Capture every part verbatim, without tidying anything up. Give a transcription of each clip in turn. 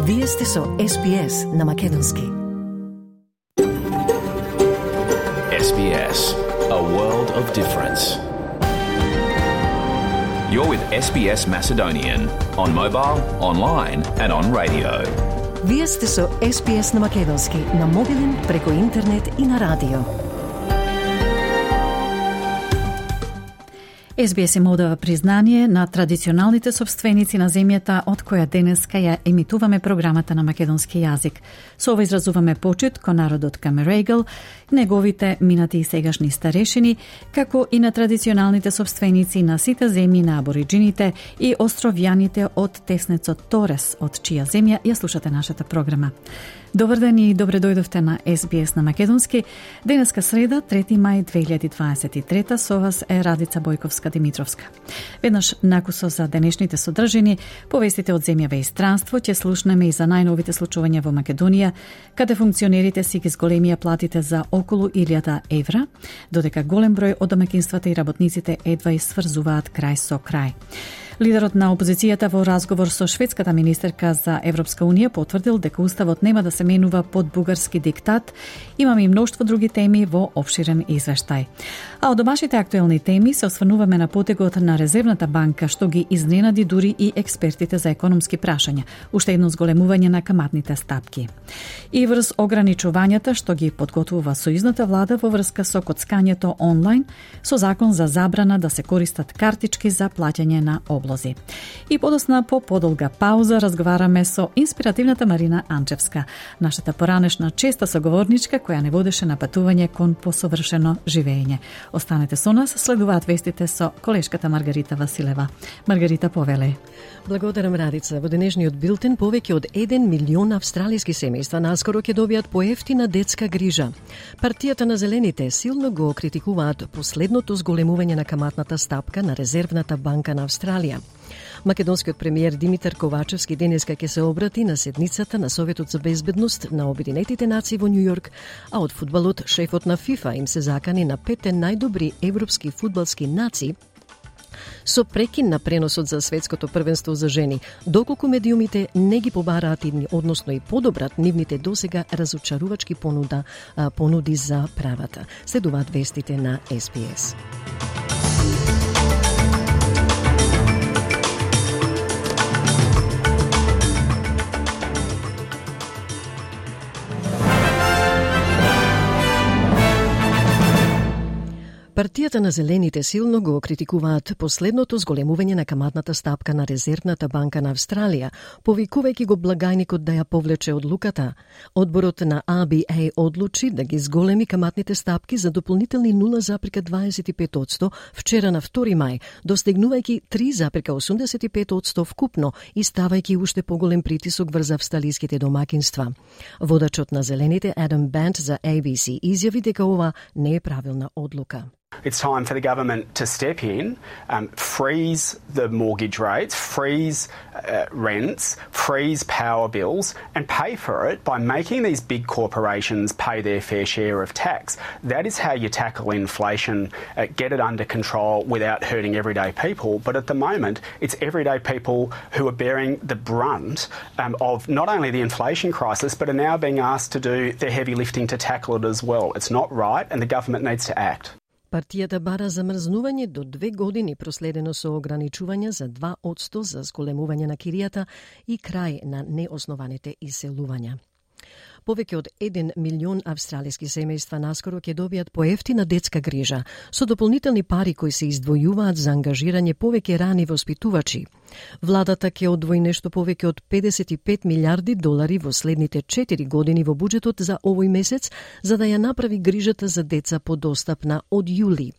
Вие сте со Ес Би Ес на Македонски. Ес Би Ес, a world of difference. You're with Ес Би Ес Macedonian on mobile, online and on radio. Вие сте со Ес Би Ес на Македонски, на мобилен, преку интернет и на радио. Ес Би Ес им одава признание на традиционалните собственици на земјата од која денеска ја емитуваме програмата на македонски јазик. Со ова изразуваме почит кон народот Камерегал, неговите минати и сегашни старешини, како и на традиционалните собственици на сите земји на абориджините и островјаните од теснецот Торес, од чија земја ја слушате нашата програма. Добар ден и добре дојдовте на Ес Би Ес на Македонски. Денеска среда, трети мај две илјади дваесет и трета, со вас е Радица Бојковска-Димитровска. Веднаш накусо за денешните содржини, повестите од земјава и странство, ќе слушнеме и за најновите случувања во Македонија, каде функционерите си ги зголемија платите за околу илјада евра, додека голем број од домаќинствата и работниците едва и сврзуваат крај со крај. Лидерот на опозицијата во разговор со шведската министерка за Европска унија потврдил дека уставот нема да се менува под бугарски диктат. Имаме и мноштво други теми во опширен извештај. А од домашните актуелни теми се осврнуваме на потегот на Резервната банка, што ги изненади дури и експертите за економски прашања, уште едно зголемување на каматните стапки. И врз ограничувањата што ги подготвува сојузната влада во врска со коцкањето онлайн, со закон за забрана да се користат картички за плаќање на област. И подосна по подолга пауза разговараме со инспиративната Марина Анчевска, нашата поранешна честа соговорничка која не водеше на патување кон посовршено живење. Останете со нас, следуваат вестите со колешката Маргарита Василева. Маргарита, повеле. Благодарам, Радица. Во денешниот билтен повеќе од еден милион австралиски семејства наскоро ќе добијат поевтина детска грижа. Партијата на Зелените силно го критикуваат последното зголемување на каматната стапка на Резервната банка на Австралија. Македонскиот премиер Димитар Ковачевски денеска ќе се обрати на седницата на Советот за безбедност на Обединетите нации во Њу Јорк, а од фудбалот шефот на ФИФА им се закани на петте најдобри европски фудбалски нации со прекин на преносот за светското првенство за жени, доколку медиумите не ги побараат, односно и подобрат нивните досега разочарувачки понуда, понуди за правата. Следуваат вестите на Ес Би Ес. Партијата на Зелените силно го критикуваат последното зголемување на каматната стапка на Резервната банка на Австралија, повикувајќи го благајникот да ја повлече одлуката. Одборот на А Би Ей одлучи да ги зголеми каматните стапки за дополнителни нула зарез дваесет и пет одсто вчера на втори мај, достигнувајќи три зарез осумдесет и пет одсто вкупно и ставајќи уште поголем притисок врз австралиските домакинства. Водачот на Зелените Адам Бант за Ей Би Си изјави дека ова не е правилна одлука. It's time for the government to step in, um, freeze the mortgage rates, freeze uh, rents, freeze power bills, and pay for it by making these big corporations pay their fair share of tax. That is how you tackle inflation, uh, get it under control without hurting everyday people. But at the moment, it's everyday people who are bearing the brunt um, of not only the inflation crisis, but are now being asked to do the heavy lifting to tackle it as well. It's not right, and the government needs to act. Партијата бара замрзнување до две години проследено со ограничување за два одсто за зголемување на киријата и крај на неоснованите иселувања. Повеќе од еден милион австралиски семејства наскоро ќе добијат поевтина детска грижа, со дополнителни пари кои се издвојуваат за ангажирање повеќе рани воспитувачи. Владата ќе одвои нешто повеќе од педесет и пет милиарди долари во следните четири години во буџетот за овој месец, за да ја направи грижата за деца подостапна од јули.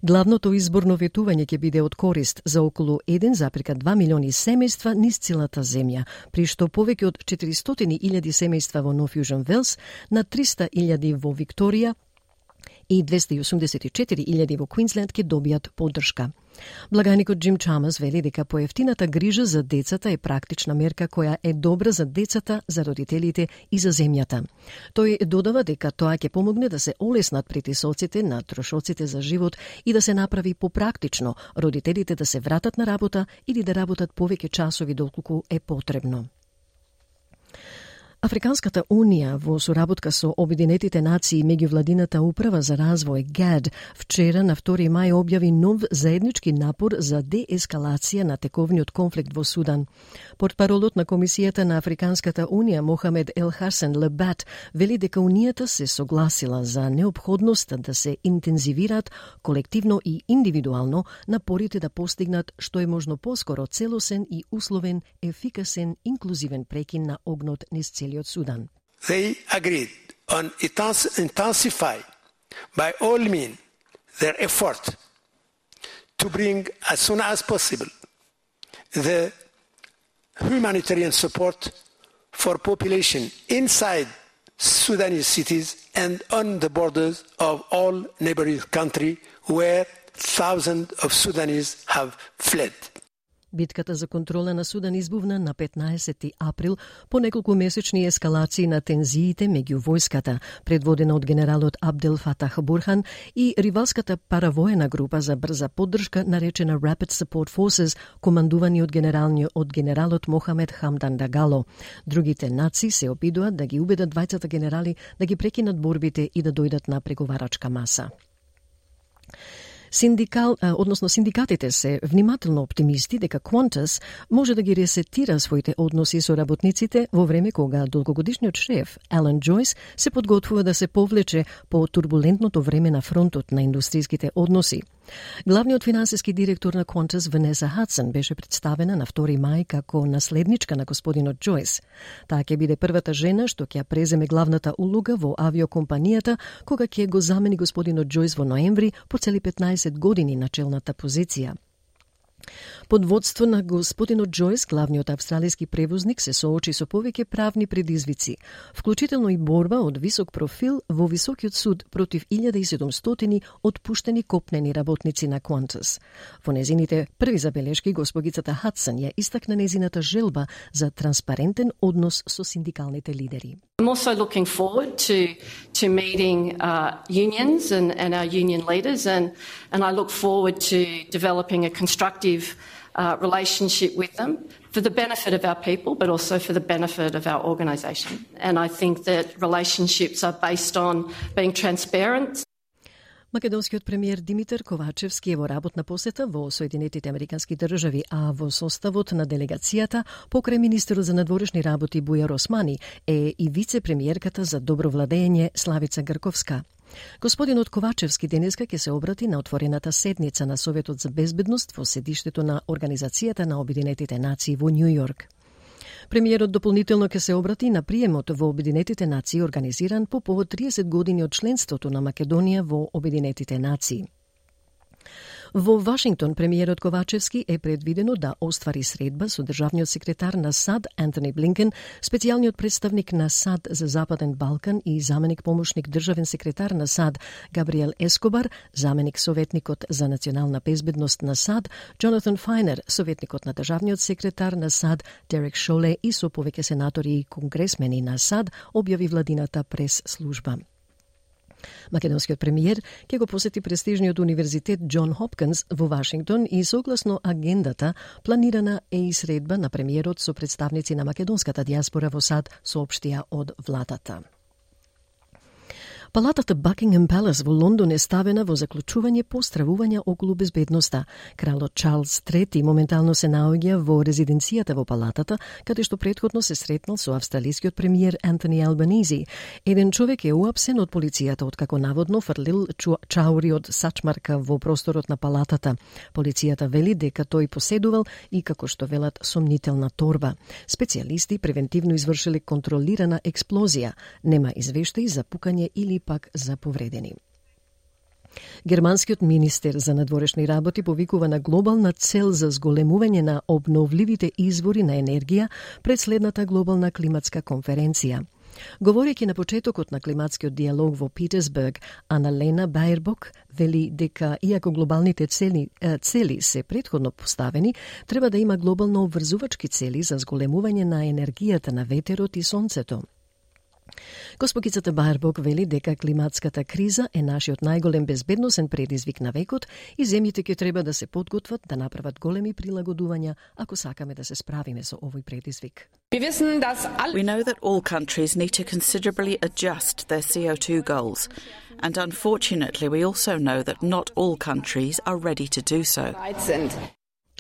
Главното изборно ветување ќе биде од корист за околу еден зарез два милиони семејства низ целата земја, при што повеќе од четиристотини илјади семејства во Нов Јужен Велс, на триста илјади во Викторија и двесте и осумдесет и четири илјади во Квинсленд ќе добијат поддршка. Благајникот Джим Чамас вели дека поевтината грижа за децата е практична мерка која е добра за децата, за родителите и за земјата. Тој додава дека тоа ќе помогне да се олеснат притисоците на трошоците за живот и да се направи попрактично родителите да се вратат на работа или да работат повеќе часови доколку е потребно. Африканската унија во соработка со Обединетите нации и меѓувладината управа за развој ГАД вчера на втори мај објави нов заеднички напор за деескалација на тековниот конфликт во Судан. Портпаролот на Комисијата на Африканската унија Мохамед Ел Хасен Лебат вели дека унијата се согласила за неопходноста да се интензивираат колективно и индивидуално напорите да постигнат што е можно поскоро целосен и условен, ефикасен, инклузивен прекин на огнот низ целиот Sudan. They agreed on intensify by all means their effort to bring as soon as possible the humanitarian support for population inside Sudanese cities and on the borders of all neighboring countries where thousands of Sudanese have fled. Битката за контрола на Судан избувна на петнаесети април по неколку месечни ескалации на тензиите меѓу војската, предводена од генералот Абдел Фатах Бурхан и ривалската паравоена група за брза поддршка наречена Rapid Support Forces, командувани од генералниот од генералот Мохамед Хамдан Дагало. Другите нации се обидуваат да ги убедат двајцата генерали да ги прекинат борбите и да дојдат на преговарачка маса. Синдикал, односно синдикатите се внимателно оптимисти дека Qantas може да ги ресетира своите односи со работниците во време кога долгогодишниот шеф Алан Джойс се подготвува да се повлече по турбулентното време на фронтот на индустријските односи. Главниот финансиски директор на Qantas, Ванеса Хадсон, беше представена на втори мај како наследничка на господинот Джойс. Таа ќе биде првата жена што ќе преземе главната улога во авиокомпанијата кога ќе го замени господинот Джойс во ноември по цели петнаесет години на челната позиција. Под водство на господинот Джойс, главниот австралиски превозник се соочи со повеќе правни предизвици, вклучително и борба од висок профил во високиот суд против илјада и седумстотини отпуштени копнени работници на Qantas. Во незините први забелешки, госпогицата Хадсон ја истакна незината желба за транспарентен однос со синдикалните лидери. I'm also looking forward to to meeting uh, unions and, and our union leaders, and, and I look forward to developing a constructive uh, relationship with them for the benefit of our people, but also for the benefit of our organisation. And I think that relationships are based on being transparent. Македонскиот премиер Димитар Ковачевски е во работна посета во Соединетите Американски држави, а во составот на делегацијата покрај министерот за надворешни работи Бујар Османи е и вице-премиерката за добро владење Славица Грковска. Господинот Ковачевски денеска ќе се обрати на отворената седница на Советот за безбедност во седиштето на Организацијата на Обединетите нации во Њу Јорк. Премиерот дополнително ќе се обрати на приемот во Обединетите нации организиран по повод триесет години од членството на Македонија во Обединетите нации. Во Вашингтон премиерот Ковачевски е предвидено да оствари средба со државниот секретар на САД Антони Блинкен, специјалниот представник на САД за Западен Балкан и заменик помошник државен секретар на САД Габриел Ескобар, заменик советникот за национална безбедност на САД Джонатан Фајнер, советникот на државниот секретар на САД Дерек Шоле и со повеќе сенатори и конгресмени на САД, објави владината прес-служба. Македонскиот премиер ќе го посети престижниот универзитет Џон Хопкинс во Вашингтон и согласно агендата планирана е и средба на премиерот со представници на македонската дијаспора во САД, соопштија од владата. Палатата Buckingham Palace во Лондон е ставена во заклучување по стравувања околу безбедноста. Кралот Чарлс трети моментално се наоѓа во резиденцијата во палатата, каде што претходно се сретнал со австралискиот премиер Антони Албанизи. Еден човек е уапсен од полицијата откако наводно фрлил чаури од сачмарка во просторот на палатата. Полицијата вели дека тој поседувал и, како што велат, сомнителна торба. Специјалисти превентивно извршиле контролирана експлозија. Нема извештаи за пукање или пак за повредени. Германскиот министер за надворешни работи повикува на глобална цел за зголемување на обновливите извори на енергија пред следната глобална климатска конференција. Говорејќи на почетокот на климатскиот диалог во Питерсберг, Аналена Баербок вели дека иако глобалните цели, цели се претходно поставени, треба да има глобално обврзувачки цели за зголемување на енергијата на ветерот и сонцето. Госпогицата Баербок вели дека климатската криза е нашиот најголем безбедносен предизвик на векот и земјите ќе треба да се подготват да направат големи прилагодувања ако сакаме да се справиме со овој предизвик. We know that all countries need to considerably adjust their C O two goals, and unfortunately we also know that not all countries are ready to do so.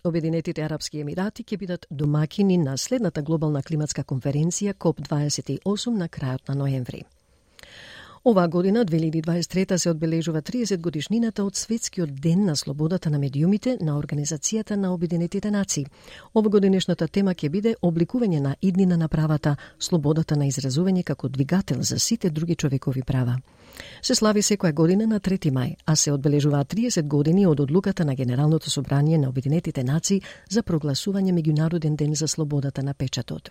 Обединетите арапски емирати ќе бидат домакини на следната глобална климатска конференција коп дваесет и осум на крајот на ноември. Оваа година, две илјади дваесет и трета, се одбележува триесет годишнината од Светскиот ден на слободата на медиумите на Организацијата на Обединетите нации. Овогодинешната тема ќе биде обликување на иднина на правата, слободата на изразување како двигател за сите други човекови права. Се слави секоја година на трети мај, а се одбележуваат триесет години од одлуката на Генералното собрание на Обединетите нации за прогласување Меѓународен ден за слободата на печатот.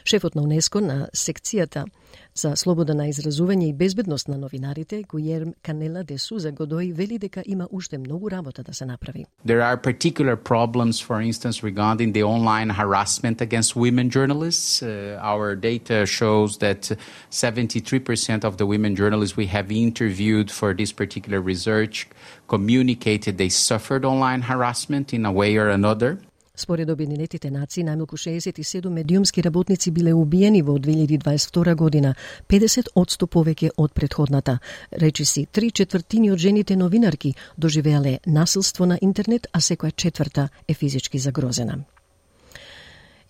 Шефот на УНЕСКО на секцијата за слобода на изразување и безбедност на новинарите, Гујерм Канела де Суза Годој, вели дека има уште многу работа да се направи. There are particular problems, for instance, regarding the online harassment against women journalists. Uh, our data shows that seventy-three percent of the women journalists we have interviewed for this particular research communicated they suffered online harassment in a way or another. Според Обединетите нации, најмалку шеесет и седум медиумски работници биле убиени во две илјади дваесет и втора година, педесет одсто повеќе од претходната. Речиси, три четвртини од жените новинарки доживеале насилство на интернет, а секоја четврта е физички загрозена.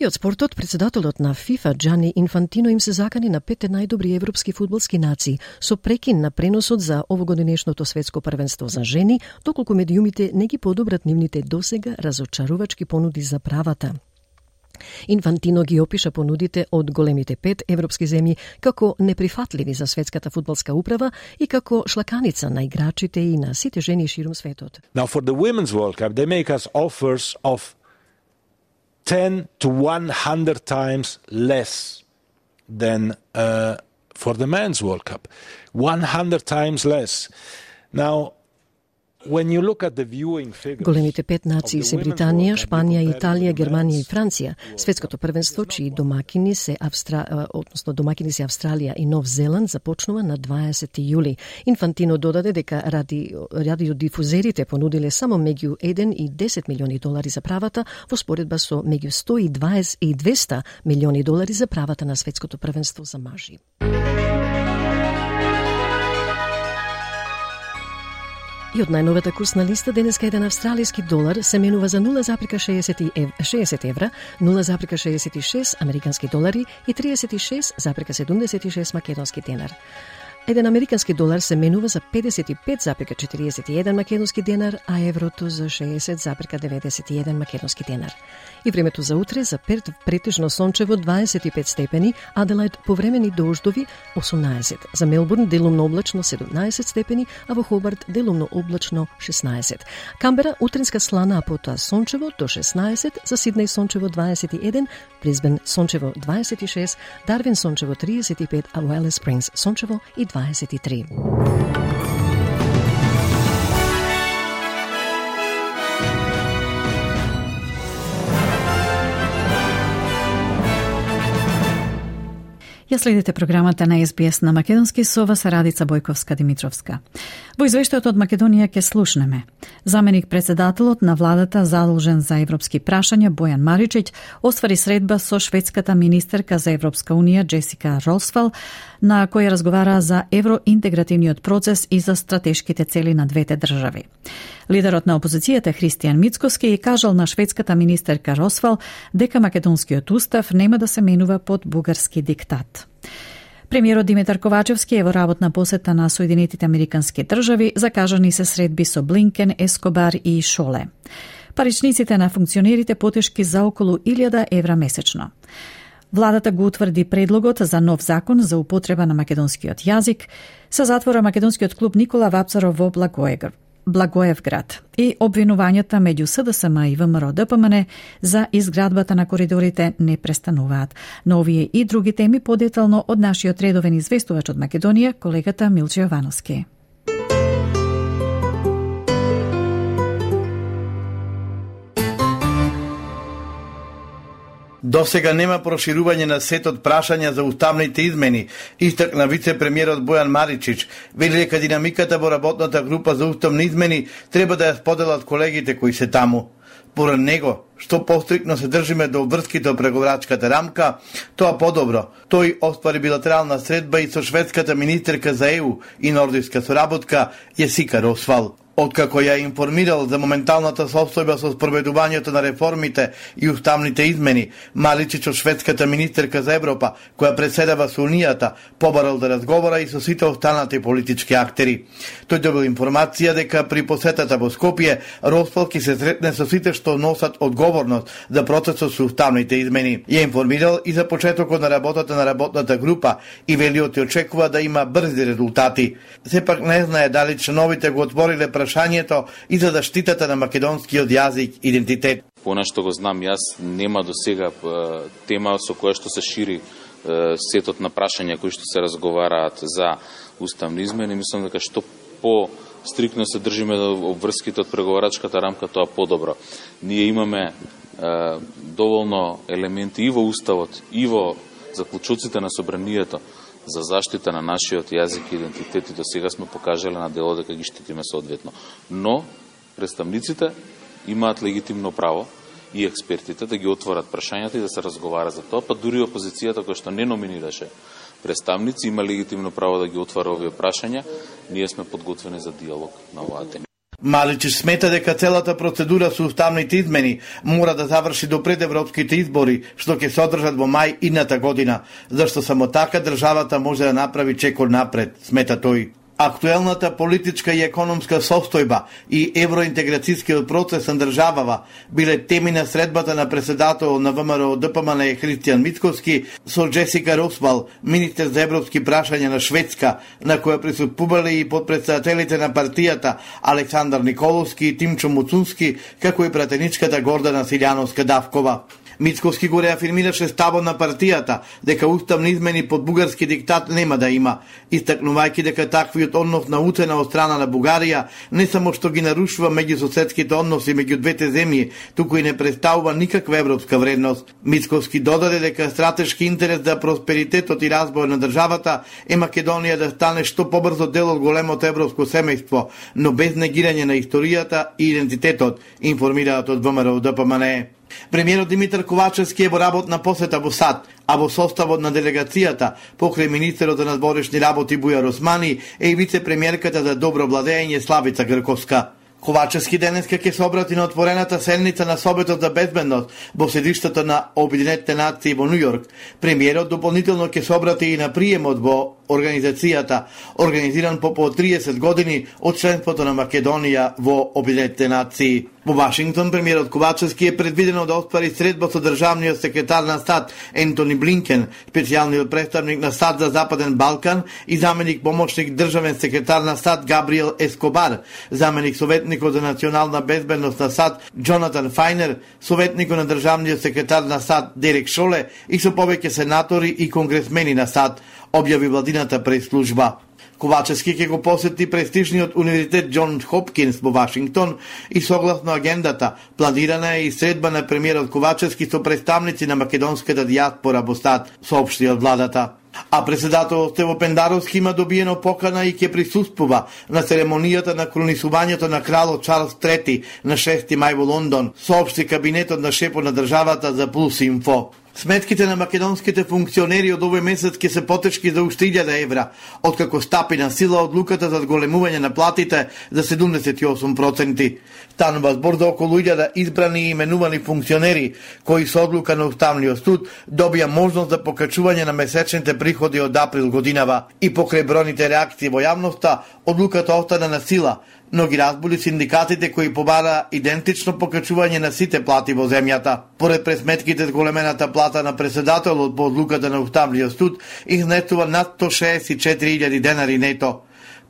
И од спортот, председателот на ФИФА Джани Инфантино им се закани на петте најдобри европски фудбалски нации со прекин на преносот за овогодинешното светско првенство за жени, доколку медиумите не ги подобрат нивните досега разочарувачки понуди за правата. Инфантино ги опиша понудите од големите пет европски земји како неприфатливи за светската фудбалска управа и како шлаканица на играчите и на сите жени ширум светот. Now for the Women's World Cup, they make us offers of ten to one hundred times less than uh, for the Men's World Cup. one hundred times less. Now, when you look at the viewing figures, големите пет нации се Британија, Шпанија, Италија, Германија и Франција. Светското првенство, чии домакини се Австра... односно домакини се Австралија и Нов Зеланд, започнува на дваесети јули. Инфантино додаде дека ради радиодифузерите понудиле само меѓу еден и десет милиони долари за правата, во споредба со меѓу сто и дваесет и двеста милиони долари за правата на светското првенство за мажи. И од најновата курсна листа денеска еден австралиски долар се менува за нула запирка шеесет евра, нула запирка шеесет и шест американски долари и триесет и шест запирка седумдесет и шест македонски денар. Еден американски долар се менува за педесет и пет запирка четириесет и еден македонски денар, а еврото за шеесет запирка деветдесет и еден македонски денар. И времето за утре за Перт претежно сончево дваесет и пет степени, Аделаид повремени дождови осумнаесет, за Мелбурн делумно облачно седумнаесет степени, а во Хобарт делумно облачно шеснаесет. Камбера утринска слана, а потоа сончево до шеснаесет, за Сиднеј сончево дваесет и еден, Брисбен сончево дваесет и шест, Дарвин сончево триесет и пет, а во Алис Спрингс сончево и дваесет и три. Ја следите програмата на Ес Би Ес на македонски со вас Радица Бојковска-Димитровска. Во извештајот од Македонија ќе слушнеме. Заменик председателот на владата задолжен за европски прашања Бојан Маричиќ оствари средба со шведската министерка за Европска унија Джесика Росвал, на која разговара за евроинтегративниот процес и за стратешките цели на двете држави. Лидерот на опозицијата Христијан Мицкоски кажал на шведската министерка Росвал дека македонскиот устав нема да се менува под бугарски диктат. Премиерот Димитар Ковачевски е во работна посета на Соединетите Американски држави, закажани се средби со Блинкен, Ескобар и Шоле. Паричниците на функционерите потешки за околу илјада евра месечно. Владата го утврди предлогот за нов закон за употреба на македонскиот јазик, се затвора македонскиот клуб Никола Вапцаров во Благоевград. Благоевград и обвинувањата меѓу СДСМ и ВМРО Д П М Н за изградбата на коридорите не престануваат. Но овие и други теми подетално од нашиот редовен известувач од Македонија, колегата Милче Јовановски. Досега нема проширување на сетот прашања за уставните измени, истакна вице-премиерот Бојан Маричич. Вели дека динамиката во работната група за уставни измени треба да ја споделат колегите кои се таму. Поред него, што пострикно се држиме до врските од преговарачката рамка, тоа подобро. Тој оствари билатерална средба и со шведската министерка за Е У и нордиска соработка Јесика Росвал. Откако ја информирал за моменталната состојба со спроведувањето на реформите и уставните измени, Маличич од шведската министерка за Европа, која преседава со Унијата, побарал да разговара и со сите останати политички актери. Тој добил информација дека при посетата во Скопје, Росвал ќе се сретне со сите што носат одговорност за процесот со уставните измени. Ја информирал и за почетокот на работата на работната група и велиот и очекува да има брзи резултати. Сепак не знае дали членовите го отвориле прашањето и за заштитата на македонскиот јазик и идентитет. По што го знам јас, нема до сега тема со која што се шири сетот на прашања кои што се разговараат за уставни измени. Мислам дека што по стрикно се држиме до обврските од преговарачката рамка, тоа подобро. Ние имаме е, доволно елементи и во уставот, и во заклучоците на собранието за заштита на нашиот јазик и идентитет, и до сега сме покажале на дело дека ги штитиме соодветно. Но представниците имаат легитимно право и експертите да ги отворат прашањата и да се разговара за тоа, па дури опозицијата која што не номинираше представници има легитимно право да ги отвара овие прашања. Ние сме подготвени за диалог на оваа тема. Маличич смета дека целата процедура со уставните измени мора да заврши до пред европските избори, што ќе се одржат во мај идната година, зашто само така државата може да направи чекор напред, смета тој. Актуелната политичка и економска состојба и евроинтеграцијскиот процес на државава биле теми на средбата на председател на ВМРО Д П М Н Христијан Мицкоски со Джесика Росвал, министер за европски прашања на Шведска, на која присуствувале и подпредседателите на партијата Александар Николовски и Тимчо Муцунски, како и пратеничката Гордана Силјановска-Давкова. Мицкоски го реафирмираше ставот на партијата дека уставни измени под бугарски диктат нема да има, истакнувајќи дека таквиот однос на уцена од страна на Бугарија не само што ги нарушува меѓусоседските односи меѓу двете земји, туку и не представува никаква европска вредност. Мицкоски додаде дека стратешки интерес за просперитетот и развој на државата е Македонија да стане што побрзо дел од големото европско семејство, но без негирање на историјата и идентитетот, информираат од ВМРО Д П М Н. Премиерот Димитар Ковачевски е во работна посета во САД, а во составот на делегацијата, покрај министерот за надворешни работи Бујар Османи, е и вице-премиерката за добро владење Славица Грковска. Ковачевски денеска ќе се обрати на отворената седница на Советот за безбедност во седиштето на Обединетите нации во Њујорк. Премиерот дополнително ќе се обрати и на приемот во организацијата, организиран по по триесет години од членството на Македонија во Обединетите нации. Во Вашингтон, премиерот Ковачевски е предвидено да оспари средба со државниот секретар на САД Ентони Блинкен, специјалниот представник на САД за Западен Балкан и заменик помошник државен секретар на САД Габриел Ескобар, заменик советникот за национална безбедност на САД Џонатан Фајнер, советникот на државниот секретар на САД Дерек Шоле и со повеќе сенатори и конгресмени на САД, објави владината прес-служба. Ковачевски ќе го посети престижниот универзитет Џон Хопкинс во Вашингтон и согласно агендата планирана е и средба на премиерот Ковачевски со представници на македонската дијаспора во САД, соопшти од владата. А председателот Стево Пендаровски има добиено покана и ќе присуствува на церемонијата на кронисувањето на кралот Чарлс трети на шести мај во Лондон, соопшти кабинетот на шефот на државата за Пулс Инфо. Сметките на македонските функционери од овој месец ќе се потешки за уште илјада евра, откако стапи на сила одлуката за зголемување на платите за седумдесет и осум проценти. Станува збор за околу илјада избрани и именувани функционери, кои со одлука на Уставниот суд добија можност за покачување на месечните приходи од април годинава. И покрај бројните реакции во јавноста, одлуката остана на сила, но ги разбули синдикатите кои побара идентично покачување на сите плати во земјата. Поред пресметките, зголемената плата на председателот по одлуката на Уставниот суд изнесува над сто шеесет и четири илјади денари нето.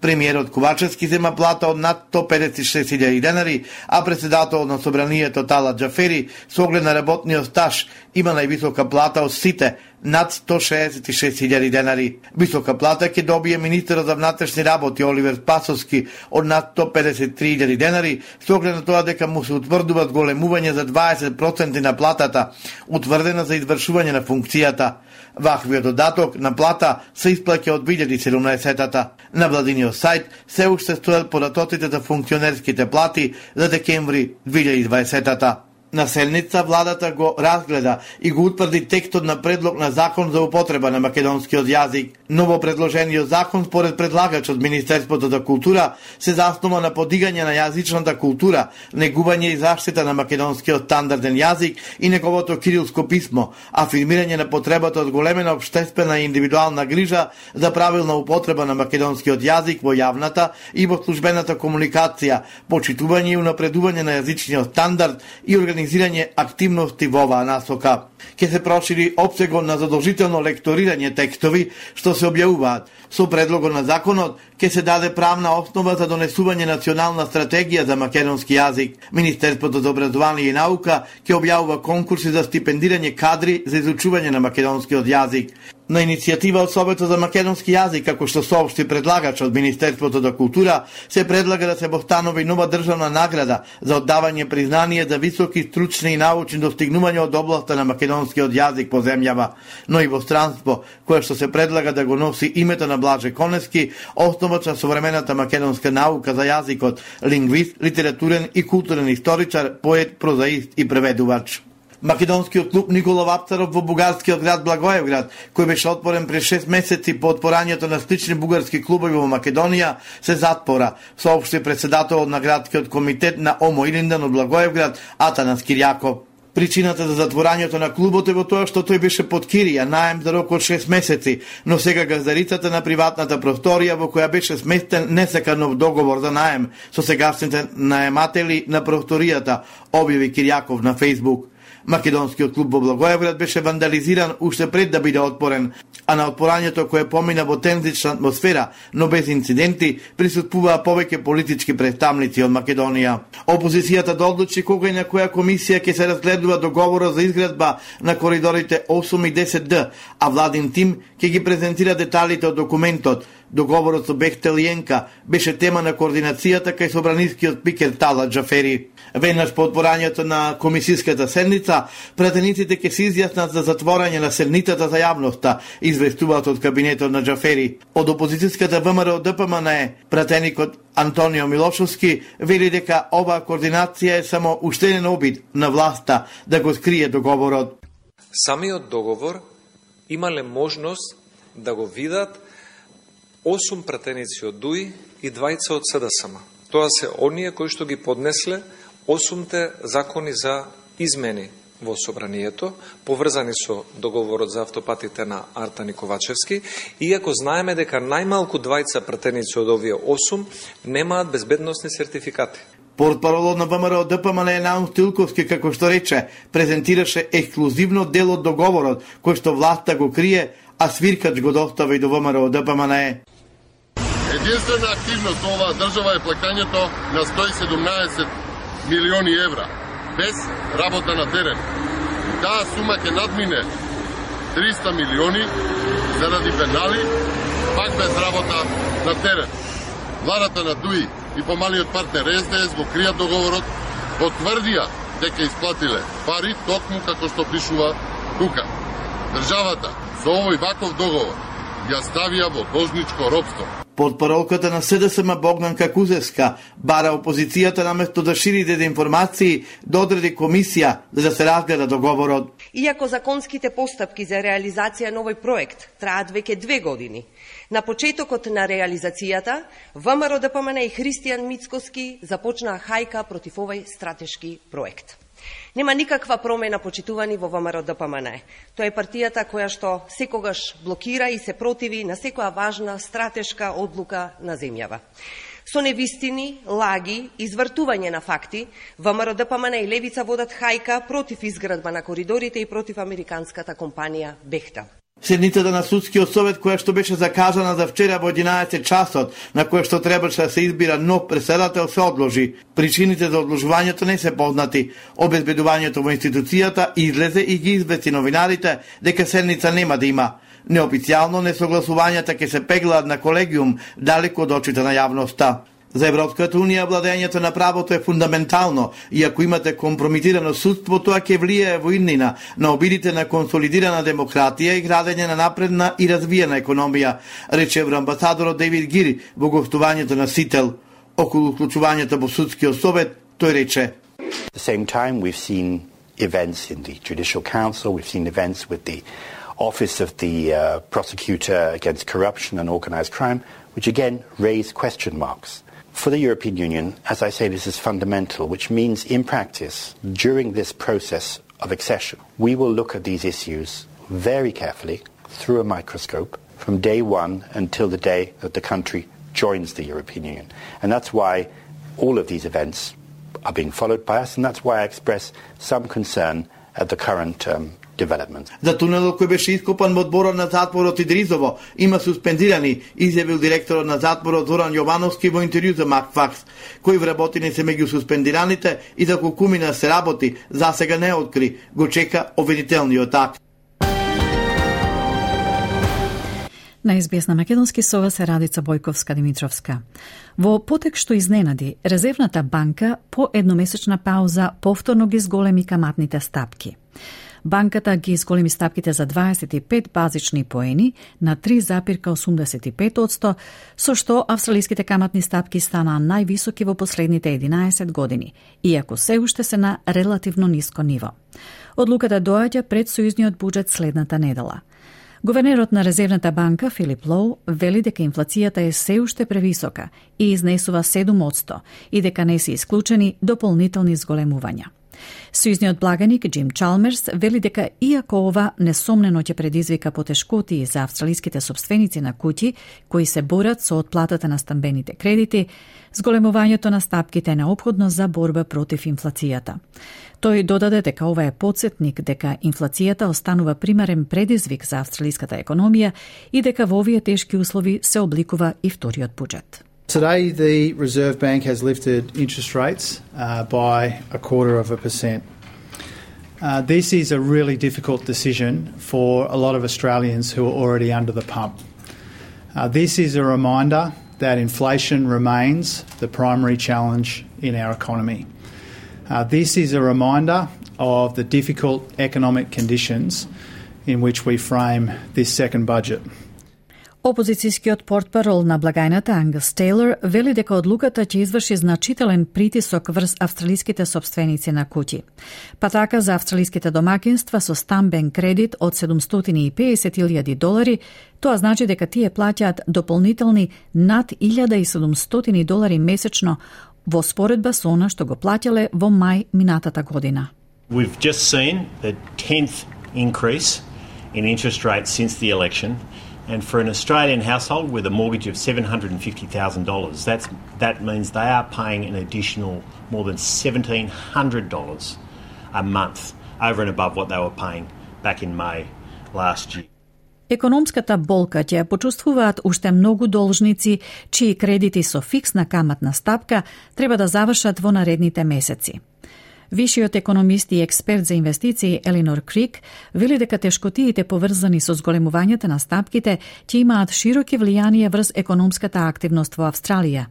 Премиерот Ковачевски зема плата од над сто педесет и шест илјади денари, а председателот на собранието Талат Џафери со оглед на работниот стаж има највисока плата од сите над сто шеесет и шест илјади денари. Висока плата ќе добие министерот за внатрешни работи Оливер Спасовски од над сто педесет и три илјади денари, со оглед на тоа дека му се утврдуваат големување за дваесет проценти на платата, утврдена за извршување на функцијата. Ваквиот додаток на плата се исплаќа од две илјади и седумнаесета. На владиниот сајт се уште стојат податоците за функционерските плати за декември две илјади и дваесета. На седница владата го разгледа и го утврди текстот на предлог на закон за употреба на македонскиот јазик. Ново предложениот закон според предлагачот Министерството за култура се заснова на подигање на јазичната култура, негување и заштита на македонскиот стандарден јазик и неговото кирилско писмо, афирмирање на потребата од големена општествена и индивидуална грижа за правилна употреба на македонскиот јазик во јавната и во службената комуникација, почитување и унапредување на јазичниот стандард и организирање активности во оваа насока. Ке се прошири опсегот на задолжително лекторирање текстови што се објавуваат. Со предлогот на законот ке се даде правна основа за донесување национална стратегија за македонски јазик. Министерството за образование и наука ке објавува конкурси за стипендирање кадри за изучување на македонскиот јазик. На иницијатива од Советот за македонски јазик, како што соопшти предлагач од Министерството за култура, се предлага да се постанови нова државна награда за оддавање признание за високи стручни и научни достигнувања од областа на македонскиот јазик по земјава, но и во странство, кое што се предлага да го носи името на Блаже Коневски, основач на современата македонска наука за јазикот, лингвист, литературен и културен историчар, поет, прозаист и преведувач. Македонскиот клуб Никола Вапцаров во бугарскиот град Благоевград, кој беше отворен пред шест месеци по отпорањето на слични бугарски клубови во Македонија, се затвора, соопшти председателот на градскиот комитет на Омо Илиндан од Благоевград Атанас Кирјаков. Причината за затворањето на клубот е во тоа што тој беше под кирија, наем за рок од шест месеци, но сега газдарицата на приватната просторија во која беше сместен не сака нов договор за наем со сегашните наематели на просторијата, објави Кирјаков на Фејсбук. Македонскиот клуб во Благоевград беше вандализиран уште пред да биде отпорен, а на отпорањето кое помина во тензична атмосфера, но без инциденти, присуствуваа повеќе политички представници од Македонија. Опозицијата да одлучи кога и на која комисија ќе се разгледува договорот за изградба на коридорите осум и десет Д, а владин тим ќе ги презентира деталите од документот. Договорот со Бехтел и Енка беше тема на координацијата кај собранискиот спикер Талат Џафери. Веднаш по отпорањето на комисиската седница, пратениците ќе се изјаснат за затворање на седницата за јавноста, известуваат од кабинетот на Џафери. Од опозицијската ВМРО Д П М Н, пратеникот Антонио Милошовски вели дека оваа координација е само уште еден обид на власта да го скрие договорот. Самиот договор имале можност да го видат осум пратеници од ДУИ и двајца од С Д С М. Тоа се оние кои што ги поднесле осумте закони за измени во собранието, поврзани со договорот за автопатите на Артан и Ковачевски, иако знаеме дека најмалку двајца пратеници од овие осум немаат безбедносни сертификати. Портпаролот на ВМРО Д П М Н Наум Стилковски, како што рече, презентираше ексклузивно дел од договорот, кој што власта го крие, а свиркач го достави до ВМРО Д П М Н. Единствена активност на оваа држава е плаќањето на сто и седумнаесет милиони евра, без работа на терен. Таа сума ќе надмине триста милиони заради пенали, пак без работа на терен. Владата на ДУИ и помалиот партнер С Д С го кријат договорот, потврдија дека исплатиле пари токму како што пишува тука. Државата со овој ваков договор ја ставија во должничко робство. Портпаролката на С Д С М Богданка Кузевска бара опозицијата наместо да шири дезинформации да одреди комисија за да се разгледа договорот. Иако законските постапки за реализација на овој проект траат веќе две години, на почетокот на реализацијата ВМРО Д П М Н и Христијан Мицкоски започнаа хајка против овој стратешки проект. Нема никаква промена, почитувани, во ВМРО Д П М Н. Тоа е партијата која што секогаш блокира и се противи на секоја важна стратешка одлука на земјава. Со невистини, лаги, извртување на факти, ВМРО Д П М Н и Левица водат хајка против изградба на коридорите и против американската компанија Бехтел. Седницата на судскиот совет, која што беше закажана за вчера во единаесет часот, на која што требаше да се избира нов председател, се одложи. Причините за одложувањето не се познати. Обезбедувањето во институцијата излезе и ги извести новинарите дека седница нема да има. Неофицијално несогласувањата ќе се пеглаат на колегиум далеку од очите на јавноста. За Европската унија владењето на правото е фундаментално и ако имате компрометирано судство, тоа ќе влијае во иднина на обидите на консолидирана демократија и градење на напредна и развиена економија, рече евроамбасадорот Дейвид Гири во гостувањето на Сител. Околу вклучувањето во судскиот совет, тој рече: At the same time, we've seen events in the Judicial Council, we've seen events with the Office of the uh, Prosecutor Against Corruption and Organised Crime, which again raise question marks. For the European Union, as I say, this is fundamental, which means in practice, during this process of accession, we will look at these issues very carefully through a microscope from day one until the day that the country joins the European Union. And that's why all of these events are being followed by us, and that's why I express some concern at the current um, development. За тунелот кој беше ископан во одборот на затворот Идризово има суспендирани, изјавил директорот на затворот Зоран Јовановски во интервју за Макфакс. Кои вработени се меѓу суспендираните и за колку мина се работи, засега не откри, го чека обвинителниот акт. На Ес Би Ес на македонски со вас е Радица Бојковска-Димитровска. Во потек што изненади, Резервната банка по едномесечна пауза повторно ги зголеми каматните стапки. Банката ги зголеми стапките за дваесет и пет базични поени на три зарез осумдесет и пет одсто, со што австралиските каматни стапки станаа највисоки во последните единаесет години, иако се уште се на релативно ниско ниво. Одлуката доаѓа пред сојузниот буџет следната недела. Гувернерот на Резервната банка Филип Лоу вели дека инфлацијата е се уште превисока и изнесува седум одсто и дека не се исклучени дополнителни зголемувања. Сојузниот благаник Џим Чалмерс вели дека иако ова несомнено ќе предизвика потешкоти за австралиските сопственици на куќи кои се борат со отплатата на стамбените кредити, зголемувањето на стапките е неопходно за борба против инфлацијата. Тој додаде дека ова е потсетник дека инфлацијата останува примарен предизвик за австралиската економија и дека во овие тешки услови се обликува и вториот буџет. Today, the Reserve Bank has lifted interest rates uh, by a quarter of a percent. Uh, this is a really difficult decision for a lot of Australians who are already under the pump. Uh, this is a reminder that inflation remains the primary challenge in our economy. Uh, this is a reminder of the difficult economic conditions in which we frame this second budget. Опозицијскиот портпарол на благајната Ангус Тейлор вели дека одлуката ќе изврши значителен притисок врз австралиските сопственици на куќи. Па така за австралиските домакинства со стамбен кредит од седумстотини и педесет илјади долари, тоа значи дека тие плаќаат дополнителни над илјада и седумстотини долари месечно во споредба со она што го плаќале во мај минатата година. We've just seen the tenth increase in interest rates since the election. And for an Australian household with a mortgage of seven hundred fifty thousand dollars, that's, that means they are paying an additional more than seventeen hundred dollars a month over and above what they were paying back in May last year. Економската болка ќе почувствуваат уште многу должници, чии кредити со фиксна каматна стапка треба да завршат во наредните месеци. Вишиот економист и експерт за инвестиции Елинор Крик вели дека тешкотиите поврзани со зголемувањето на стапките ќе имаат широки влијанија врз економската активност во Австралија.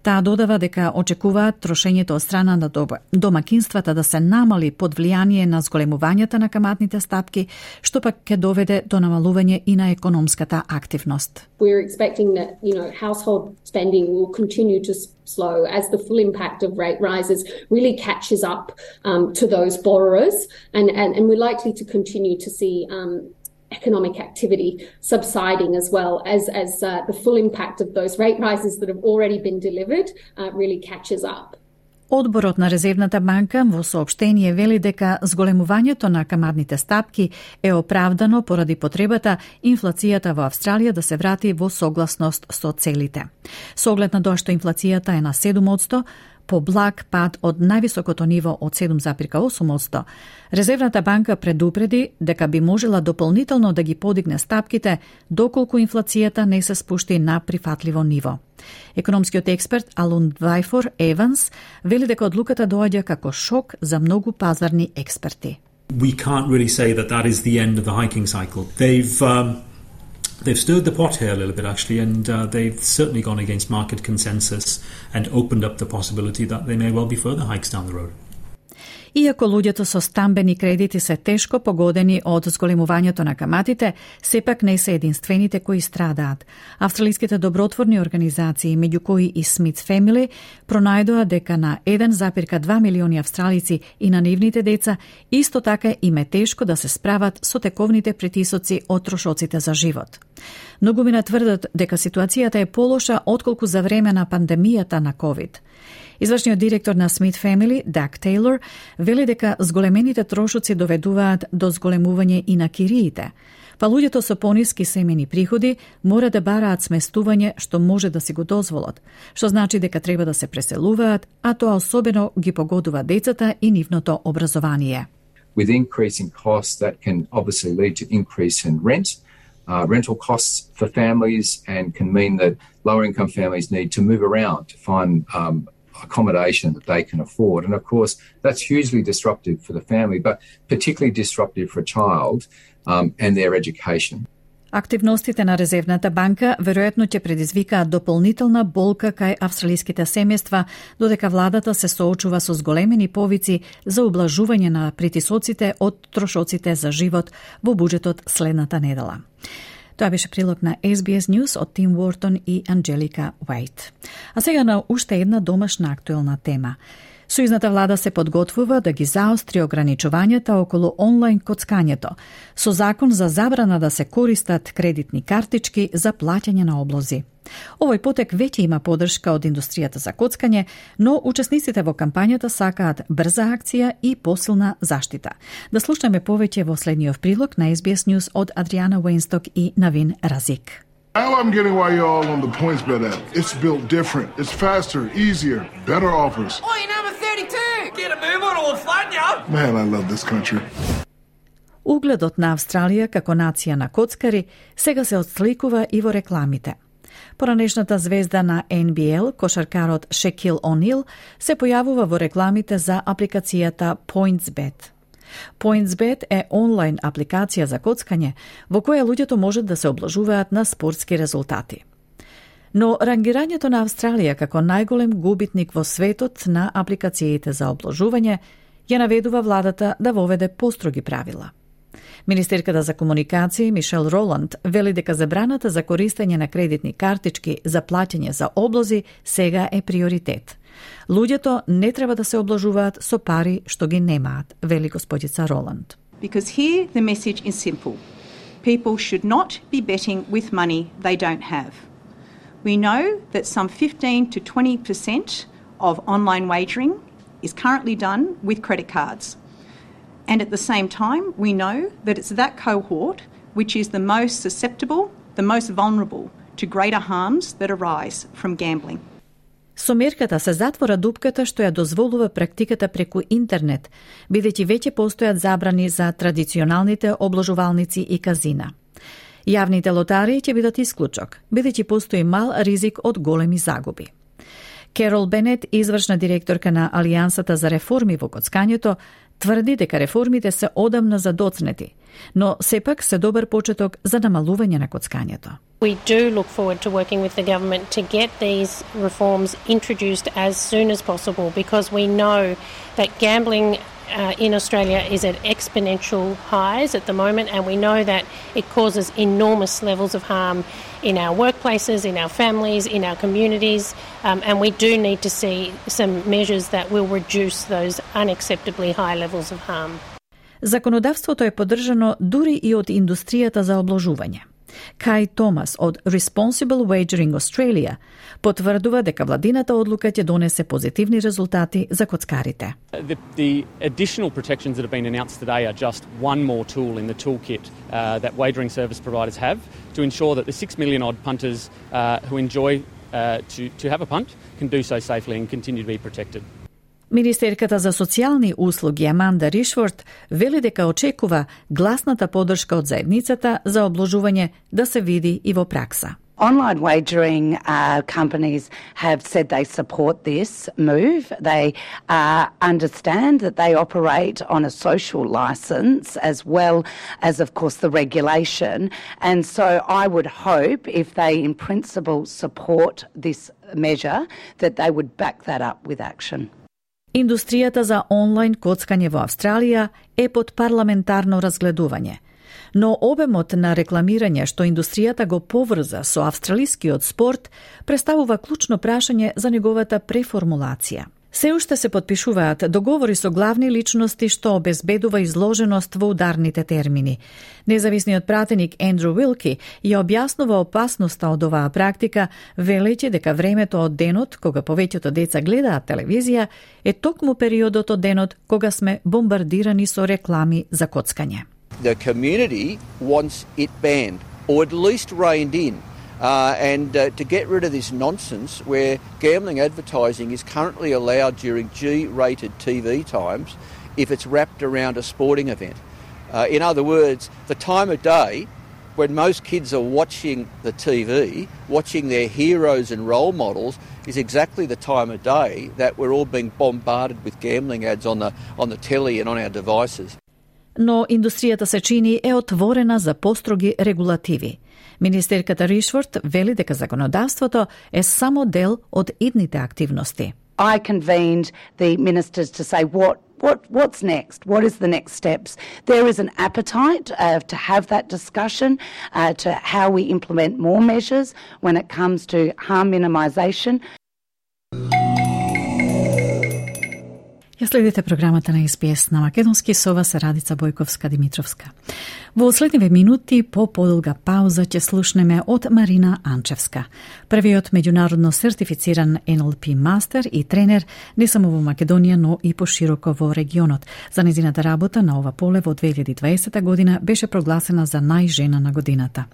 Таа додава дека очекуваат трошењето од страна на домакинствата да се намали под влијание на зголемувањето на каматните стапки, што пак ќе доведе до намалување и на економската активност. We're expecting that, you know, household spending will continue to slow as the full impact of rate rises really catches up um, to those borrowers, and, and, and we're likely to continue to see um, economic activity subsiding as well as, as uh, the full impact of those rate rises that have already been delivered uh, really catches up. Одборот на Резервната банка во соопштение вели дека зголемувањето на каматните стапки е оправдано поради потребата инфлацијата во Австралија да се врати во согласност со целите. Со оглед на тоа што инфлацијата е на седум одсто, поблаг пад од највисокото ниво од седум зарез и осум одсто, Резервната банка предупреди дека би можела дополнително да ги подигне стапките доколку инфлацијата не се спушти на прифатливо ниво. Економскиот експерт Алун Двајфор Еванс вели дека одлуката доаѓа како шок за многу пазарни експерти. We can't really say that that is the end of the hiking cycle. They've um, they've stirred the pot here a little bit actually, and uh, they've certainly gone against market consensus and opened up the possibility that there may well be further hikes down the road. Иако луѓето со стамбени кредити се тешко погодени од зголемувањето на каматите, сепак не се единствените кои страдаат. Австралиските добротворни организации, меѓу кои и Smith Family, пронајдоа дека на еден зарез и два милиони австралици и на нивните деца исто така им е тешко да се справат со тековните притисоци од трошоците за живот. Многумина тврдат дека ситуацијата е полоша отколку за време на пандемијата на ковид. Извршниот директор на Smith Family, Даг Тейлор, вели дека зголемените трошоци доведуваат до зголемување и на кириите, па луѓето со пониски семени приходи мора да бараат сместување што може да си го дозволат, што значи дека треба да се преселуваат, а тоа особено ги погодува децата и нивното образование. With increasing costs that can obviously lead to increase in rent, uh, rental costs for families, and can mean that lower income families need to move around to find um, accommodation that they can afford. And of course, that's hugely disruptive for the family, but particularly disruptive for a child um, and their education. Активностите на Резервната банка веројатно ќе предизвикаат дополнителна болка кај австралиските семејства, додека владата се соочува со зголемени повици за ублажување на притисоците од трошоците за живот во буџетот следната недела. Тоа беше прилог на Ес Би Ес News од Тим Уортон и Анджелика Уајт. А сега на уште една домашна актуелна тема. Сојузната влада се подготвува да ги заостри ограничувањата околу онлайн коцкањето, со закон за забрана да се користат кредитни картички за плаќање на облози. Овој потек веќе има поддршка од индустријата за коцкање, но учесниците во кампањата сакаат брза акција и посилна заштита. Да слушнеме повеќе во следниот прилог на Ес Би Ес News од Адриана Уейнсток и Навин Разик. Now I'm getting why you're all on the PointsBet app. It's built different. It's faster, easier, better offers. Oh, you're number thirty-two! Get a move on or fun, ya! Man, I love this country. Угледот на Австралија како нација на коцкари сега се отсликува и во рекламите. Поранешната звезда на Ен Би Ел, кошаркарот Шекил О'Нил, се појавува во рекламите за апликацијата PointsBet. PointsBet е онлайн апликација за коцкање во која луѓето можат да се облажуваат на спортски резултати. Но рангирањето на Австралија како најголем губитник во светот на апликациите за облажување ја наведува владата да воведе построги правила. Министерката за комуникации Мишел Роланд вели дека забраната за користење на кредитни картички за плаќање за облози сега е приоритет. Луѓето не треба да се облажуваат со пари што ги немаат, вели господица Роланд. Because here the message is simple. People should not be betting with money they don't have. We know that some fifteen to twenty percent of online wagering is currently done with credit cards. And at the same time, we know that it's that cohort which is the most susceptible, the most vulnerable to greater harms that arise from gambling. Со мерката се затвора дупката што ја дозволува практиката преку интернет, бидејќи веќе постојат забрани за традиционалните обложувалници и казина. Јавните лотарии ќе бидат исклучок, бидејќи постои мал ризик од големи загуби. Керол Бенет, извршна директорка на Алијансата за реформи во коцкањето, тврди дека реформите се одамна задоцнети, но сепак се добар почеток за намалување на коцкањето. We do look forward to working with the government to get these reforms introduced as soon as possible, because we know that gambling uh, in Australia is at exponential highs at the moment, and we know that it causes enormous levels of harm in our workplaces, in our families, in our communities, um, and we do need to see some measures that will reduce those unacceptably high levels of harm. Законодавството е поддржано дури и од индустријата за обложување. Кај Томас од Responsible Wagering Australia потврдува дека владината одлука ќе донесе позитивни резултати за коцкарите. The, the additional protections that have been announced today are just one more tool in the toolkit uh, that wagering service providers have to ensure that the six million odd punters uh, who enjoy uh, to, to have a punt can do so safely and continue to be protected. Министерката за социјални услуги Аманда Ришфорд вели дека очекува гласната поддршка од заедницата за обложување да се види и во пракса. Online wagering uh, companies have said they support this move. They uh, understand that they operate on a social licence as well as, of course, the regulation. And so I would hope if they, in principle, support this measure, that they would back that up with action. Индустријата за онлайн коцкање во Австралија е под парламентарно разгледување. Но обемот на рекламирање што индустријата го поврза со австралискиот спорт представува клучно прашање за неговата преформулација. Се уште се подпишуваат договори со главни личности што обезбедува изложеност во ударните термини. Независниот пратеник Ендрю Уилки ја објаснува опасноста од оваа практика, велејќи дека времето од денот кога повеќето деца гледаат телевизија е токму периодот од денот кога сме бомбардирани со реклами за коцкање. The community wants it banned, or at least reined in, uh, and uh, to get rid of this nonsense where gambling advertising is currently allowed during G-rated T V times if it's wrapped around a sporting event. Uh, in other words, the time of day when most kids are watching the T V, watching their heroes and role models, is exactly the time of day that we're all being bombarded with gambling ads on the, on the telly and on our devices. Но индустријата се чини е отворена за построги регулативи. Министерката Ришфорд вели дека законодавството е само дел од идните активности. I convened the ministers to say what what what's next? What is the next steps? There is an appetite uh, to have that discussion uh, to how we implement more measures when it comes to harm minimisation. Ја следите програмата на Ес Би Ес на македонски, со вас е Радица Бојковска-Димитровска. Во следниве минути, по подолга пауза, ќе слушнеме од Марина Анчевска, првиот меѓународно сертифициран Ен Ел Пи мастер и тренер не само во Македонија, но и пошироко во регионот. За незината работа на ова поле во две илјади и дваесета година беше прогласена за најжена на годината.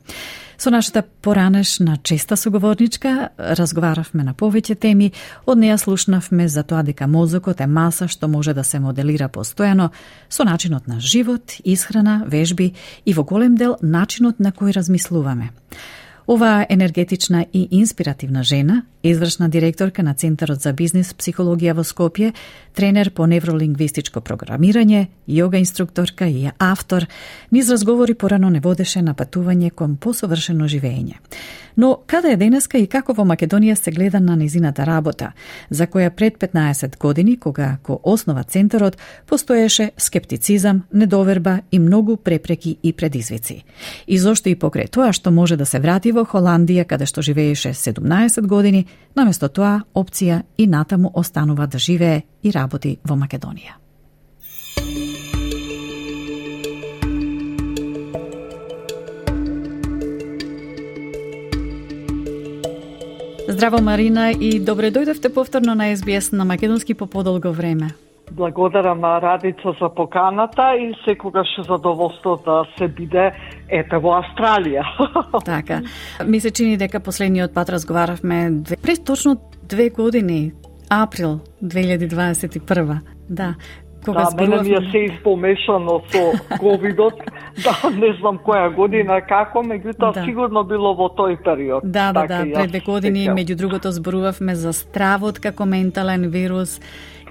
Со нашата поранешна честа соговорничка разговаравме на повеќе теми. Од неја слушнавме за тоа дека мозокот е маса што може да се моделира постојано со начинот на живот, исхрана, вежби и во голем дел начинот на кој размислуваме. Оваа енергетична и инспиративна жена, извршна директорка на Центарот за бизнис психологија во Скопје, тренер по невролингвистичко програмирање, јога инструкторка и автор, низ разговори порано не водеше на патување кон посовршено живење. Но каде е денеска и како во Македонија се гледа на незината работа, за која пред петнаесет години, кога го основа Центарот, постоеше скептицизам, недоверба и многу препреки и предизвици. И зошто и покрај тоа што може да се врати во Холандија, каде што живееше седумнаесет години, наместо тоа опција и натаму останува да живее и работи во Македонија. Здраво, Марина, и добре дојдовте повторно на Ес Би Ес на македонски по подолго време. Благодарам на Радица за поканата и секогаш задоволство да се биде ете во Австралија. Така. Ми се чини дека последниот пат разговаравме пред точно две години, април две илјади дваесет и прва. Да. Кога да, мене ми е се испомешано со ковидот, да, не знам која година, како, меѓутоа да. Сигурно било во тој период. Да, да, да, пред две години, меѓу другото, зборувавме за стравот како ментален вирус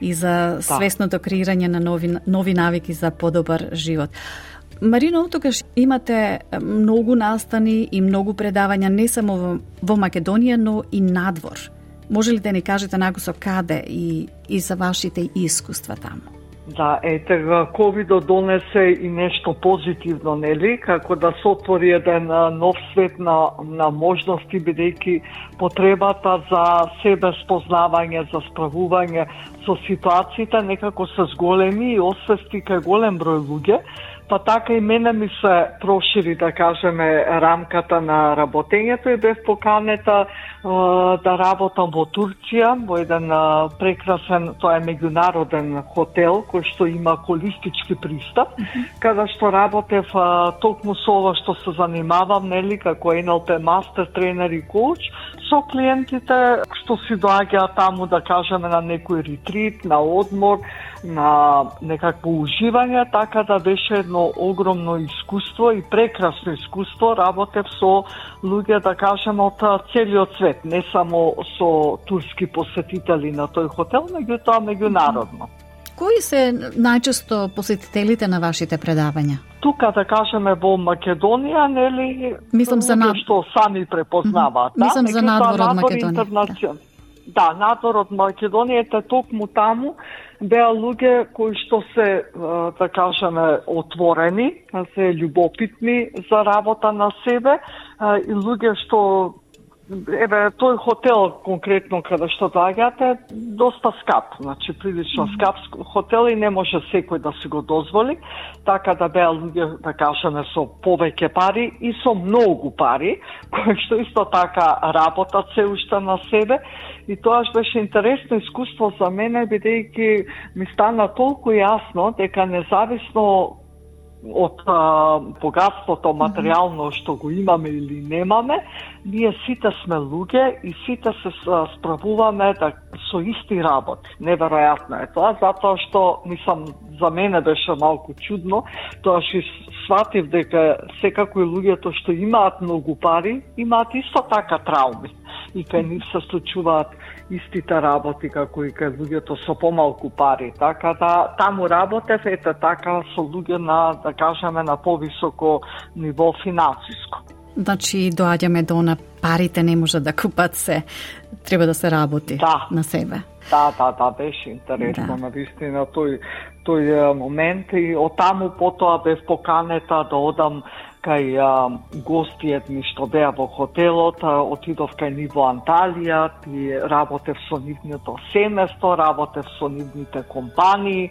и за свесното креирање на нови, нови навики за подобар живот. Марино, оттогаш имате многу настани и многу предавања не само во, во Македонија, но и надвор. Може ли да ни кажете накусо каде и, и за вашите искуства таму? Да, ете, ковидот донесе и нешто позитивно, нели? Како да се отвори еден нов свет на, на можности, бидејќи потребата за себе спознавање, за справување со ситуациите некако се зголеми и освести кај голем број луѓе, па така и мене ми се прошири, да кажеме, рамката на работењето и бев поканета да работам во Турција, во еден прекрасен, тоа е меѓународен хотел кој што има холистички пристап, mm-hmm. каде што работев токму со ова што се занимавам, нели, како Ен Ел Пи мастер, тренер и коуч, со клиентите што си доаѓаат таму, да кажеме, на некој ретрит, на одмор, на некакво уживање, така да беше едно огромно искуство и прекрасно искуство. Работев со луѓе, да кажеме, од целиот свет, не само со турски посетители на тој хотел, меѓутоа меѓународно. Кои се најчесто посетителите на вашите предавања? Тука, да кажеме, во Македонија, нели, мислам за над... што сами препознаваат. Mm-hmm. Мислам да? за надвор од Македонија. Интернацион... Да, надвор од Македонија, е токму таму беа луѓе кои што се, да кажеме, отворени, се љубопитни за работа на себе, и луѓе што, еве, тој хотел конкретно каде што доаѓате, доста скап, значи прилично скап хотел и не може секој да си го дозволи, така да беа луѓе, да кажеме, со повеќе пари и со многу пари, кои што исто така работат се уште на себе. И тоаш беше интересно искуство за мене, бидејќи ми стана толку јасно дека независно од а, богатството материјално што го имаме или немаме, ние сите сме луѓе и сите се справуваме да, со исти работи. Неверојатно е тоа, затоа што, мислам, за мене беше малку чудно, тоа што сватив дека секако и луѓето што имаат многу пари, имаат исто така трауми. И кај нив се случуваат истите работи како и кај луѓето со помалку пари. Така да таму работев ете така со луѓе на, да кажеме, на повисоко ниво финансиско. Значи доаѓаме до на парите не може да купат се, треба да се работи да. на себе. Да, да, да, беше интересно, да. Навистина тој тој момент и од таму потоа бев поканета да одам кај а, гостиет ми што беа во хотелот, а, отидов кај нив во Анталија и работев со нивното семејство, работев со нивните компании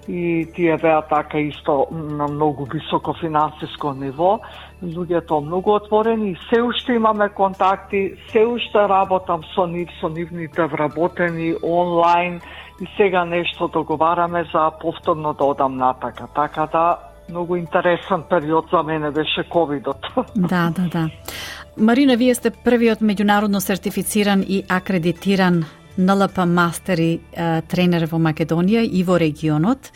и тие беа така исто на многу високо финансиско ниво. Луѓето многу отворени и се уште имаме контакти, се уште работам со нив, со нивните вработени онлайн и сега нешто договараме за повторно да одам натака. Така да многу интересен период за мене беше ковидот. Да, да, да. Марина, вие сте првиот меѓународно сертифициран и акредитиран ен ел пи мастери е, тренер во Македонија и во регионот.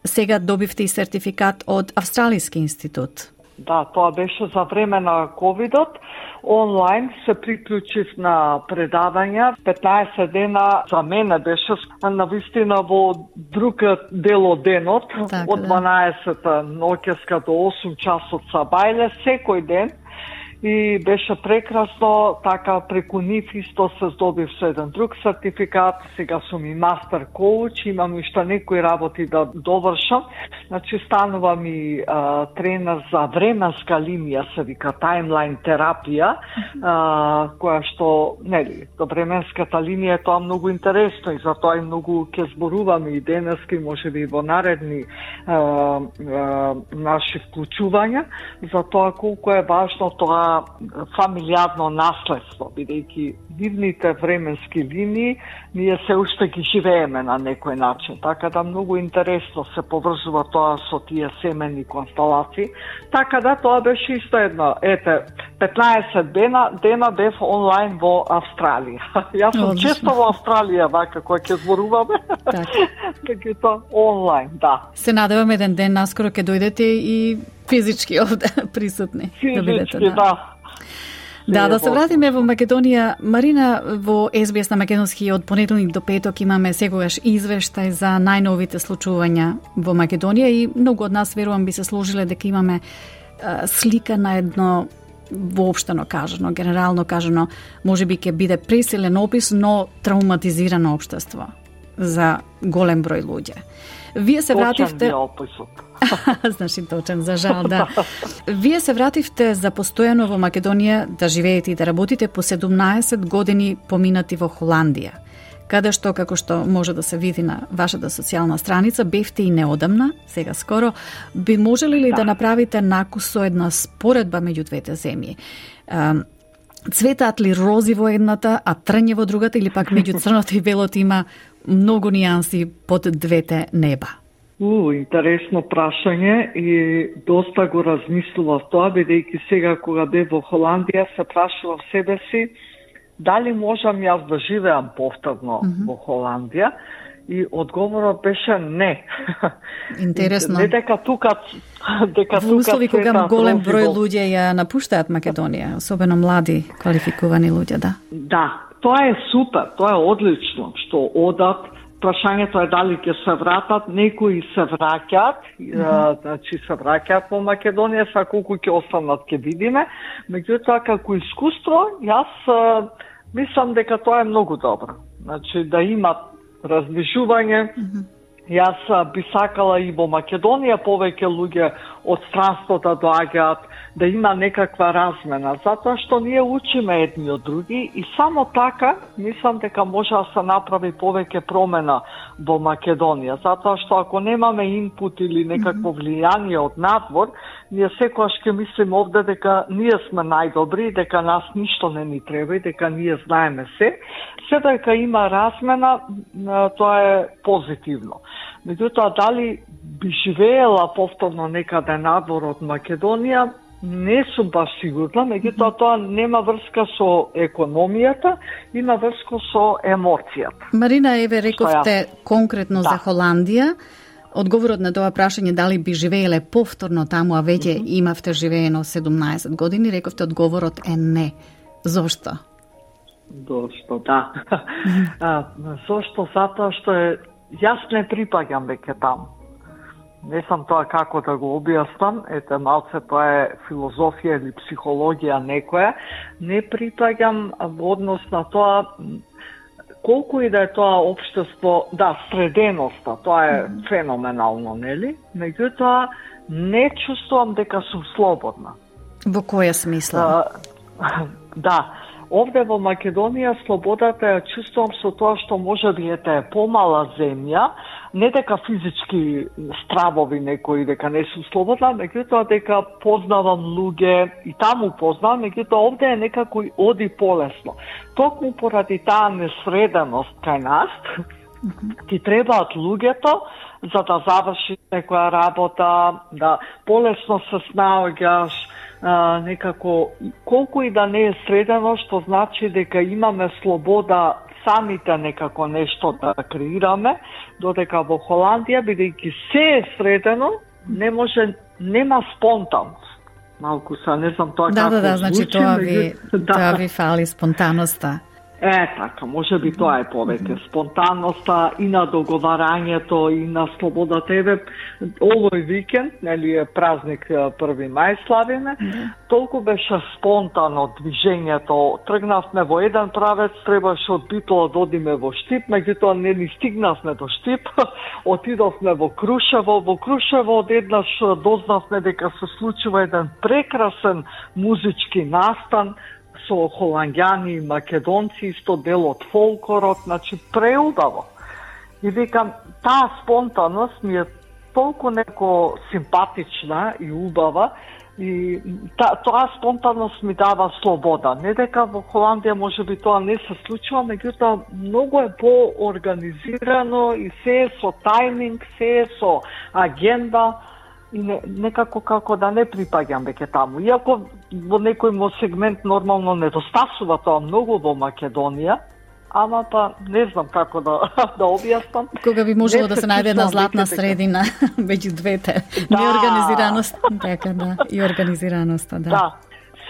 Сега добивте и сертификат од Австралиски институт. Да, тоа беше за време на ковидот. Онлайн се приклучив на предавања. петнаесет дена за мене беше навистина во друг дел од денот, так, од дванаесет ноќеска до осум часот са бајле секој ден. И беше прекрасно, така преку нив исто се здобив со еден друг сертификат, сега сум и мастер коуч, имам уште некои работи да довршам, значи станувам и а, тренер за временска линија, се вика таймлайн терапија, а, која што, нели, до временската линија е тоа многу интересно и затоа и многу ќе зборуваме и денески, можеби и во наредни а, а, наши вклучувања, за тоа колку е важно тоа фамилијарно наследство, бидејќи нивните временски линии ние се уште ги живееме на некој начин. Така да многу интересно се поврзува тоа со тие семени констелации. Така да тоа беше исто едно. Ете, петнаесет дена, дена бев онлайн во Австралија. Јас сум често во Австралија, вака, која ќе зборуваме. Така тоа онлайн, да. Се надевам еден ден наскоро ќе дојдете и физички овде присутни. Физички, да. да. Да, да се вратиме во Македонија. Марина, во Ес Би Ес на македонски од понеделник до петок имаме секогаш извештај за најновите случувања во Македонија и многу од нас, верувам, би се сложиле дека имаме а, слика на едно воопштено кажано, генерално кажано, можеби ќе биде пресилен опис, но травматизирано општество за голем број луѓе. Вие се вративте... Значи точен, за жал, да. Вие се вративте за постојано во Македонија да живеете и да работите по седумнаесет години поминати во Холандија, каде што, како што може да се види на вашата социјална страница, бевте и неодамна, сега скоро. Би можели ли да, да направите накус со една споредба меѓу двете земји? Цветаат ли рози во едната, а трње во другата, или пак меѓу црното и белото има многу нијанси под двете неба? У, интересно прашање и доста го размислував тоа, бидејќи сега кога бев во Холандија се прашував себе си дали можам јас да живеам повторно mm-hmm. во Холандија? И одговорот беше не. Интересно. Не дека тука дека во услови тука кога голем број луѓе ја напуштаат Македонија, особено млади, квалификувани луѓе, да. Да, тоа е супер, тоа е одлично што одат. Прашањето е дали ќе се вратат, некои се враќаат, mm-hmm. значи се враќаат во Македонија, са колку ќе останат ќе видиме. Меѓутоа како искуство, јас мислам дека тоа е многу добро. Значи да имат раздвижување. Mm-hmm. Јас би сакала и во Македонија повеќе луѓе од странство да доаѓаат, да има некаква размена, затоа што ние учиме едни од други и само така мислам дека може да се направи повеќе промена во Македонија, затоа што ако немаме инпут или некакво влијание од надвор, ние секогаш ќе мислиме овде дека ние сме најдобри, дека нас ништо не ни треба и дека ние знаеме се. Се дека има размена, тоа е позитивно. Меѓутоа, дали би живеела повторно некаде надвор од Македонија, не сум баш сигурна, меѓутоа тоа нема врска со економијата, има врска со емоцијата. Марина, еве рековте конкретно да. За Холандија. Одговорот на тоа прашање дали би живееле повторно таму, а веќе mm-hmm. имавте живеено седумнаесет години, рековте одговорот е не. Зошто? Зошто, да. а, зошто? Затоа што е, јас не припаѓам веќе таму. Не сам тоа како да го објаснам, ете малце тоа е филозофија или психологија некоја. Не припаѓам во однос на тоа колку и да е тоа општество, да, среденоста, тоа е mm-hmm. феноменално, нели? Меѓутоа, не чувствувам дека сум слободна. Во која смисла? А, да, овде во Македонија слободата ја чувствувам со тоа што може би ете е помала земја, не дека физички стравови некои дека не сум слободна, меѓутоа дека познавам луѓе и таму познавам, меѓутоа овде е некако оди полесно. Токму поради таа несреденост кај нас, ти требаат луѓето за да завршиш некоја работа, да полесно се снаоѓаш, а, некако, колку и да не е средено, што значи дека имаме слобода самите некако нешто да креираме, додека во Холандија, бидејќи се е средено, не може, нема спонтанност. Малку са, не знам тоа да, како да, да, значи звучи, тоа ви, да. тоа ви фали спонтаноста. Е, така, може би тоа е повеќе. Спонтанноста и на договарањето, и на слободата. Еве, овој викенд, нели е празник први мај славиме, толку беше спонтано движењето. Тргнавме во еден правец, требаше од Битола да одиме во Штип, меѓутоа не ни стигнавме до Штип, отидовме во Крушево. Во Крушево одеднаш дознавме дека се случува еден прекрасен музички настан, со холанѓани и македонци, исто дел од фолклорот, значи преубаво. И викам, таа спонтаност ми е толку неко симпатична и убава, и та, тоа спонтаност ми дава слобода. Не дека во Холандија може би тоа не се случува, меѓутоа многу е по-организирано и се е со тајминг, се е со агенда, и не, некако како да не припаѓам веќе таму. Иако во некој мо сегмент нормално недостасува тоа многу во Македонија, ама па не знам како да да објаснам. Кога би можело да се најде една златна средина меѓу двете. Да. Неорганизираност, така да, и организираноста, да. Да.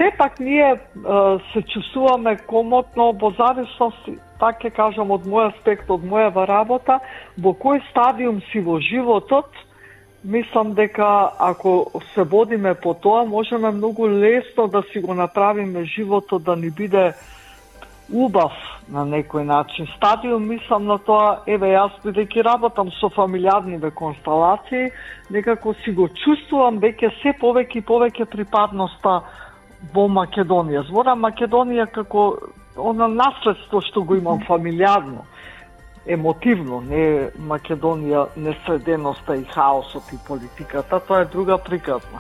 Сепак ние е, се чувствуваме комотно во зависност, така ќе кажам, од мој аспект, од мојава работа, во кој стадиум си во животот. Мислам дека ако се водиме по тоа, можеме многу лесно да си го направиме животот да ни биде убав на некој начин. Стадиум мислам на тоа, еве јас бидејќи работам со фамилиарниве констелации, некако си го чувствувам веќе се повеќе и повеќе припадноста во Македонија. Зборам Македонија како она наследство што го имам фамилиарно. Емотивно, не Македонија, несреденоста и хаосот и политиката, тоа е друга приказна.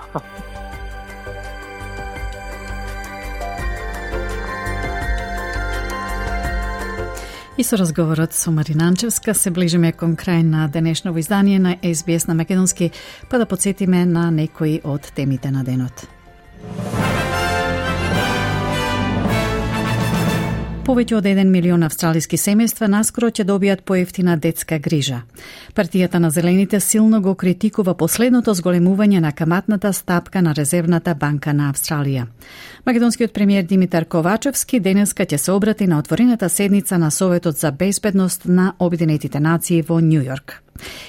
И со разговорот со Марина Анчевска се ближиме кон крај на денешново издание на Ес Би Ес на македонски, па да подсетиме на некои од темите на денот. повеќе од еден милион австралиски семејства наскоро ќе добијат поевтина детска грижа. Партијата на Зелените силно го критикува последното зголемување на каматната стапка на Резервната банка на Австралија. Македонскиот премиер Димитар Ковачевски денеска ќе се обрати на отворената седница на Советот за безбедност на Обединетите нации во Њу Јорк.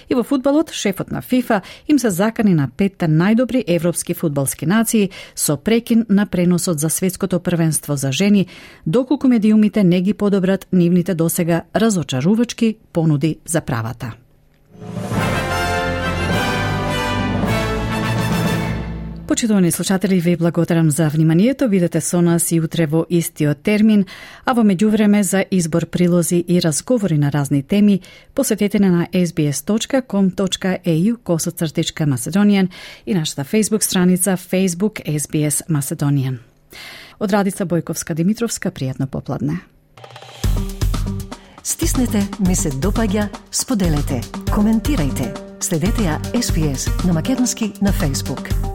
И во фудбалот, шефот на ФИФА им се закани на петте најдобри европски фудбалски нации со прекин на преносот за светското првенство за жени, доколку медиумите не ги подобрат нивните досега разочарувачки понуди за правата. Почитувани слушатели, ви благодарам за вниманието. Бидете со нас и утре во истиот термин, а во меѓувреме за избор прилози и разговори на разни теми, посетете на ес би ес точка ком точка е ю косацртичка Macedonian и нашата Facebook страница Facebook ес би ес Macedonian. Од Радица Бојковска-Димитровска, пријатно попладне. Стиснете, ми се допаѓа, споделете, коментирајте. Следете ја ес би ес на македонски на Facebook.